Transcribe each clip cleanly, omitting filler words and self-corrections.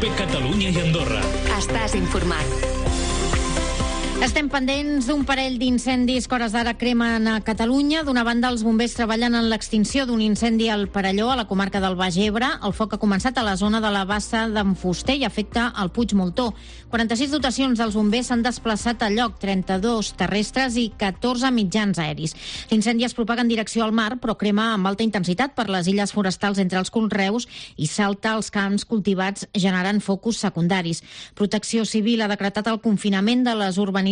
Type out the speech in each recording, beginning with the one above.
COPE Catalunya i Andorra. Estàs informat. Estem pendents d'un parell d'incendis que hores d'ara cremen a Catalunya. D'una banda, els bombers treballen en l'extinció d'un incendi al Perelló, a la comarca del Baix Ebre. El foc ha començat a la zona de la bassa d'en Fuster i afecta el Puig Moltó. 46 dotacions dels bombers s'han desplaçat al lloc, 32 terrestres i 14 mitjans aeris. L'incendi es propaga en direcció al mar, però crema amb alta intensitat per les illes forestals entre els conreus i salta als camps cultivats, generant focus secundaris. Protecció Civil ha decretat el confinament de les urbanitzacions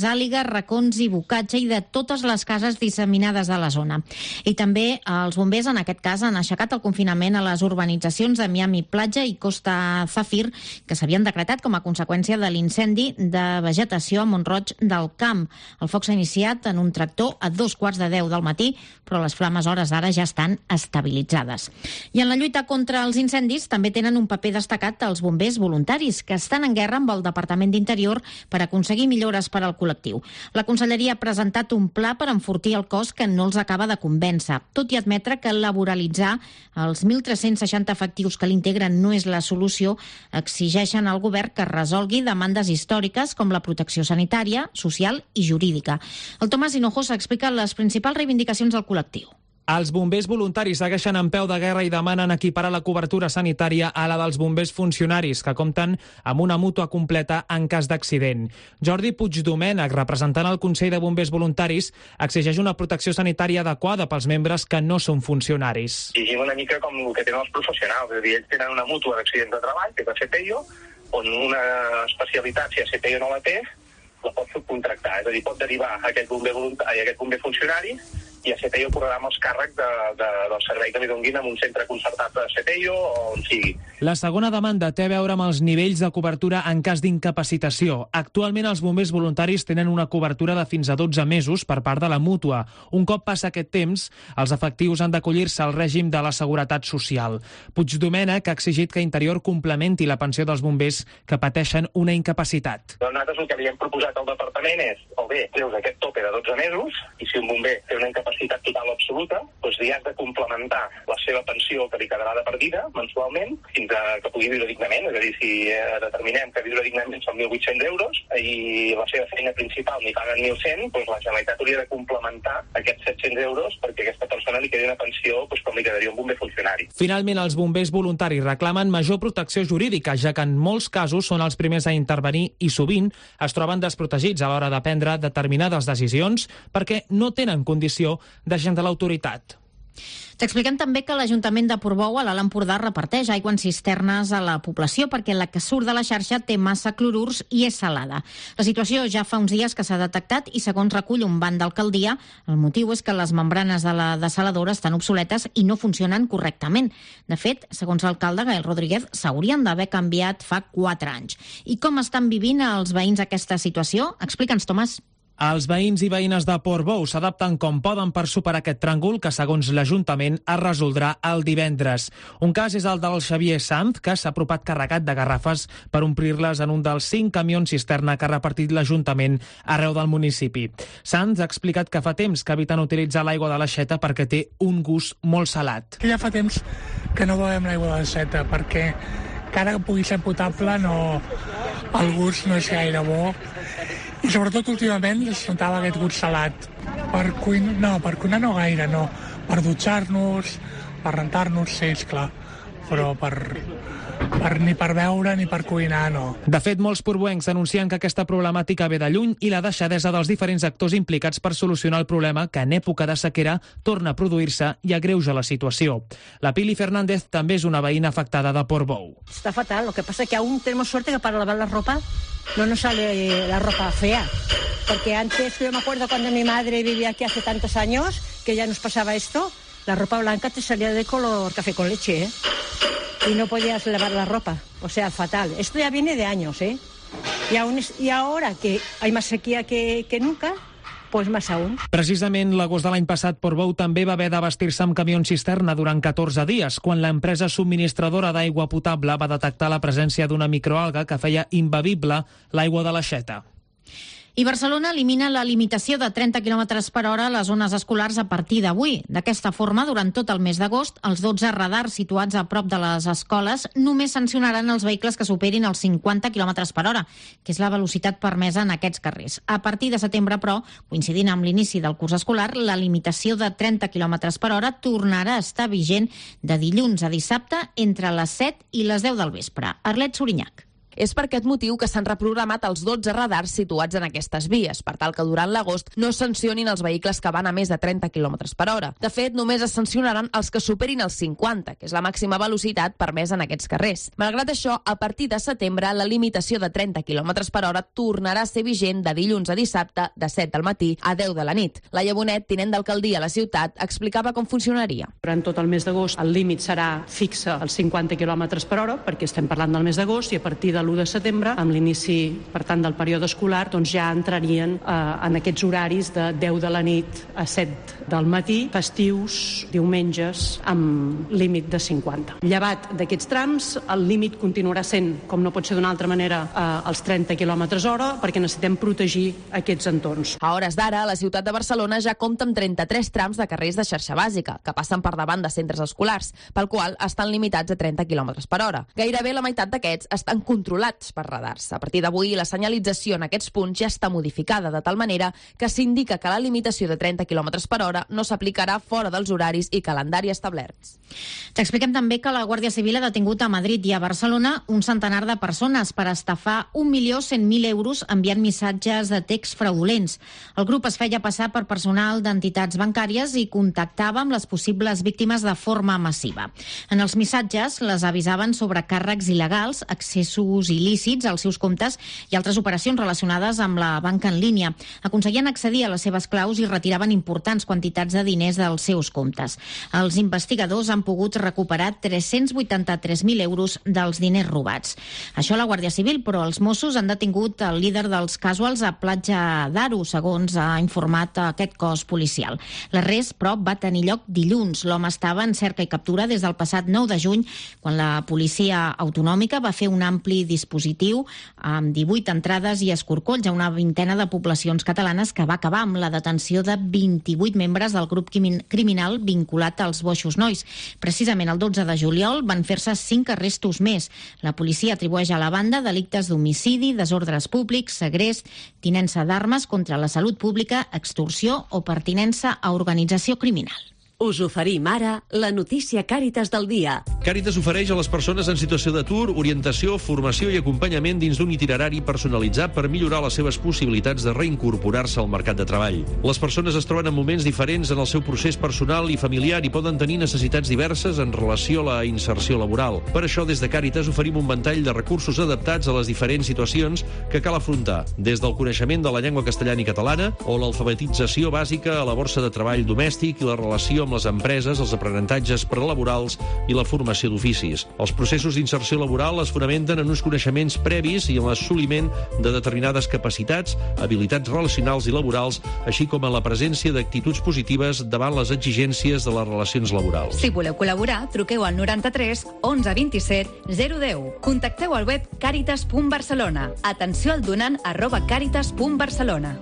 Àliga, Racons i Bocatge i de totes les cases disseminades a la zona. I també els bombers, en aquest cas, han aixecat el confinament a les urbanitzacions de Miami Platja i Costa Zafir, que s'havien decretat com a conseqüència de l'incendi de vegetació a Mont-roig del Camp. El foc s'ha iniciat en un tractor a 2:15 del matí, però les flames a hores d'ara ja estan estabilitzades. I en la lluita contra els incendis també tenen un paper destacat els bombers voluntaris, que estan en guerra amb el Departament d'Interior per aconseguir millores per al col·lectiu. La Conselleria ha presentat un pla per enfortir el cos que no els acaba de convèncer, tot i admetre que laboralitzar els 1.360 efectius que l'integren no és la solució. Exigeixen al govern que resolgui demandes històriques com la protecció sanitària, social i jurídica. El Tomàs Hinojosa explica les principals reivindicacions del col·lectiu. Els bombers voluntaris segueixen en peu de guerra i demanen equiparar la cobertura sanitària a la dels bombers funcionaris, que compten amb una mútua completa en cas d'accident. Jordi Puigdomènech, representant el Consell de Bombers Voluntaris, exigeix una protecció sanitària adequada pels membres que no són funcionaris. Llegim una mica com el que tenen els professionals, és a dir, ells tenen una mútua d'accidents de treball, que és la CPIO, on una especialitat, si la CPIO no la té, la pot subcontractar, és a dir, pot derivar aquest bomber voluntari, aquest bomber funcionari, i a CPIO cobrarà amb els càrrecs del servei que li donguin en un centre concertat de CPIO o on sigui. La segona demanda té a veure amb els nivells de cobertura en cas d'incapacitació. Actualment els bombers voluntaris tenen una cobertura de fins a 12 mesos per part de la mútua. Un cop passa aquest temps, els efectius han d'acollir-se al règim de la Seguretat Social. Puigdomènech ha exigit que Interior complementi la pensió dels bombers que pateixen una incapacitat. Nosaltres el que li hem proposat al departament és, o bé, treus aquest tope de 12 mesos, i si un bomber té una incapacitat total o absoluta, doncs li has de complementar la seva pensió que li quedarà de per vida mensualment fins a que pugui viure dignament. És a dir, si determinem que viure dignament són 1.800 euros i la seva feina principal n'hi paguen 1.100, doncs la Generalitat hauria de complementar aquests 700 euros perquè a aquesta persona li quedi una pensió com li quedaria un bomber funcionari. Finalment, els bombers voluntaris reclamen major protecció jurídica, ja que en molts casos són els primers a intervenir i sovint es troben desprotegits a l'hora de prendre determinades decisions perquè no tenen condició d'agent de l'autoritat. T'expliquem també que l'Ajuntament de Portbou, a l'Alt Empordà, reparteix aigua en cisternes a la població perquè la que surt de la xarxa té massa clorurs i és salada. La situació ja fa uns dies que s'ha detectat i, segons recull un banc d'alcaldia, el motiu és que les membranes de la dessaladora estan obsoletes i no funcionen correctament. De fet, segons l'alcalde Gael Rodríguez, s'haurien d'haver canviat fa 4 anys. I com estan vivint els veïns aquesta situació? Explica'ns, Tomàs. Els veïns i veïnes de Portbou s'adapten com poden per superar aquest tràngol que, segons l'Ajuntament, es resoldrà el divendres. Un cas és el del Xavier Sanz, que s'ha apropat carregat de garrafes per omplir-les en un dels 5 camions cisterna que ha repartit l'Ajuntament arreu del municipi. Sanz ha explicat que fa temps que eviten utilitzar l'aigua de l'aixeta perquè té un gust molt salat. Ja fa temps que no bevem l'aigua de l'aixeta perquè encara que pugui ser potable el gust no és gaire bo. I sobretot últimament es notava aquest gust salat. Per cuinar no gaire, no. Per dutxar-nos, per rentar-nos, sí, esclar. Però ni per beure ni per cuinar, no. De fet, molts portbouencs denuncien que aquesta problemàtica ve de lluny i la deixadesa dels diferents actors implicats per solucionar el problema que en època de sequera torna a produir-se i agreuja la situació. La Pili Fernández també és una veïna afectada de Portbou. Está fatal, lo que pasa es que aún tenemos suerte que para lavar la ropa no nos sale la ropa fea. Porque antes, yo me acuerdo cuando mi madre vivía aquí hace tantos años, que ya nos pasaba esto, la ropa blanca te salía de color café con leche, ¿eh? Y no podías lavar la ropa, o sea, fatal. Esto ya viene de años, ¿eh? Y ahora que hay más sequía que nunca, pues más aún. Precisament l'agost de l'any passat, Portbou també va haver d'abastir-se amb camions cisterna durant 14 dies, quan l'empresa subministradora d'aigua potable va detectar la presència d'una microalga que feia imbevible l'aigua de l'aixeta. I Barcelona elimina la limitació de 30 km per hora a les zones escolars a partir d'avui. D'aquesta forma, durant tot el mes d'agost, els 12 radars situats a prop de les escoles només sancionaran els vehicles que superin els 50 km per hora, que és la velocitat permesa en aquests carrers. A partir de setembre, però, coincidint amb l'inici del curs escolar, la limitació de 30 km per hora tornarà a estar vigent de dilluns a dissabte entre les 7 i les 10 del vespre. Arlet Sorinyac. És per aquest motiu que s'han reprogramat els 12 radars situats en aquestes vies, per tal que durant l'agost no es sancionin els vehicles que van a més de 30 km per hora. De fet, només es sancionaran els que superin els 50, que és la màxima velocitat permesa en aquests carrers. Malgrat això, a partir de setembre, la limitació de 30 km per hora tornarà a ser vigent de dilluns a dissabte, de 7 del matí a 10 de la nit. Laia Bonet, tinent d'alcaldia a la ciutat, explicava com funcionaria. Durant tot el mes d'agost el límit serà fixe als 50 km per hora, perquè estem parlant del mes d'agost, i a partir de l'1 de setembre, amb l'inici, per tant, del període escolar, doncs ja entrarien en aquests horaris de 10 de la nit a 7 del matí, festius, diumenges, amb límit de 50. Llevat d'aquests trams, el límit continuarà sent, com no pot ser d'una altra manera, els 30 km hora, perquè necessitem protegir aquests entorns. A hores d'ara, la ciutat de Barcelona ja compta amb 33 trams de carrers de xarxa bàsica, que passen per davant de centres escolars, pel qual estan limitats a 30 km per hora. Gairebé la meitat d'aquests estan controlats per radars. A partir d'avui, la senyalització en aquests punts ja està modificada, de tal manera que s'indica que la limitació de 30 km per hora no s'aplicarà fora dels horaris i calendari establerts. T'expliquem també que la Guàrdia Civil ha detingut a Madrid i a Barcelona un centenar de persones per estafar 1.100.000 euros enviant missatges de text fraudulents. El grup es feia passar per personal d'entitats bancàries i contactava amb les possibles víctimes de forma massiva. En els missatges les avisaven sobre càrrecs il·legals, accessos il·lícits als seus comptes i altres operacions relacionades amb la banca en línia. Aconseguien accedir a les seves claus i retiraven importants quantitats de diners dels seus comptes. Els investigadors han pogut recuperar 383.000 euros dels diners robats. Això a la Guàrdia Civil, però els Mossos han detingut el líder dels casuals a Platja d'Aro, segons ha informat aquest cos policial. L'arrest, però, va tenir lloc dilluns. L'home estava en cerca i captura des del passat 9 de juny, quan la policia autonòmica va fer un ampli dispositiu amb 18 entrades i escorcolls a una vintena de poblacions catalanes que va acabar amb la detenció de 28 membres del grup criminal vinculat als Boixos Nois. Precisament el 12 de juliol van fer-se 5 arrestos més. La policia atribueix a la banda delictes d'homicidi, desordres públics, segrest, tinença d'armes contra la salut pública, extorsió o pertinença a organització criminal. Us oferim ara la notícia Càritas del dia. Càritas ofereix a les persones en situació d'atur orientació, formació i acompanyament dins d'un itinerari personalitzat per millorar les seves possibilitats de reincorporar-se al mercat de treball. Les persones es troben en moments diferents en el seu procés personal i familiar i poden tenir necessitats diverses en relació a la inserció laboral. Per això, des de Càritas oferim un ventall de recursos adaptats a les diferents situacions que cal afrontar, des del coneixement de la llengua castellana i catalana o l'alfabetització bàsica a la borsa de treball domèstic i la relació amb les empreses, els aprenentatges prelaborals i la formació d'oficis. Els processos d'inserció laboral es fonamenten en uns coneixements previs i en l'assoliment de determinades capacitats, habilitats relacionals i laborals, així com en la presència d'actituds positives davant les exigències de les relacions laborals. Si voleu col·laborar, truqueu al 93 11 27 010. Contacteu al web caritas.barcelona. Atenció al donant @caritas.barcelona.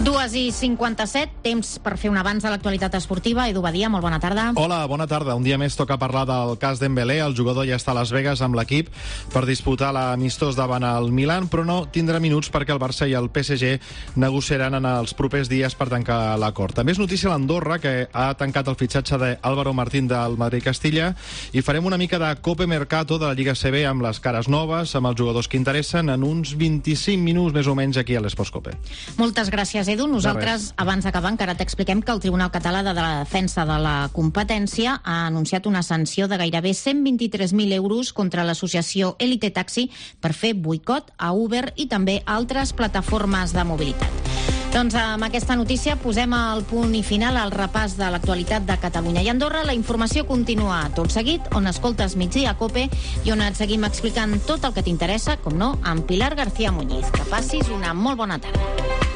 2:57, temps per fer un avanç de l'actualitat esportiva. Edu Badia, molt bona tarda. Hola, bona tarda. Un dia més toca parlar del cas Dembélé. El jugador ja està a Las Vegas amb l'equip per disputar l'amistós davant el Milan, però no tindrà minuts perquè el Barça i el PSG negociaran en els propers dies per tancar l'acord. També és notícia l'Andorra, que ha tancat el fitxatge d'Álvaro Martín del Madrid-Castilla, i farem una mica de Cope Mercato de la Lliga CB amb les cares noves, amb els jugadors que interessen, en uns 25 minuts més o menys aquí a l'Esports Cope. Moltes gràcies, Edu. Nosaltres, abans d'acabar, encara t'expliquem que el Tribunal Català de la Defensa de la Competència ha anunciat una sanció de gairebé 123.000 euros contra l'associació Elite Taxi per fer boicot a Uber i també altres plataformes de mobilitat. Doncs amb aquesta notícia posem el punt i final al repàs de l'actualitat de Catalunya i Andorra. La informació continua tot seguit, on escoltes Migdia a Cope i on et seguim explicant tot el que t'interessa, com no, amb Pilar García Muñiz. Que passis una molt bona tarda.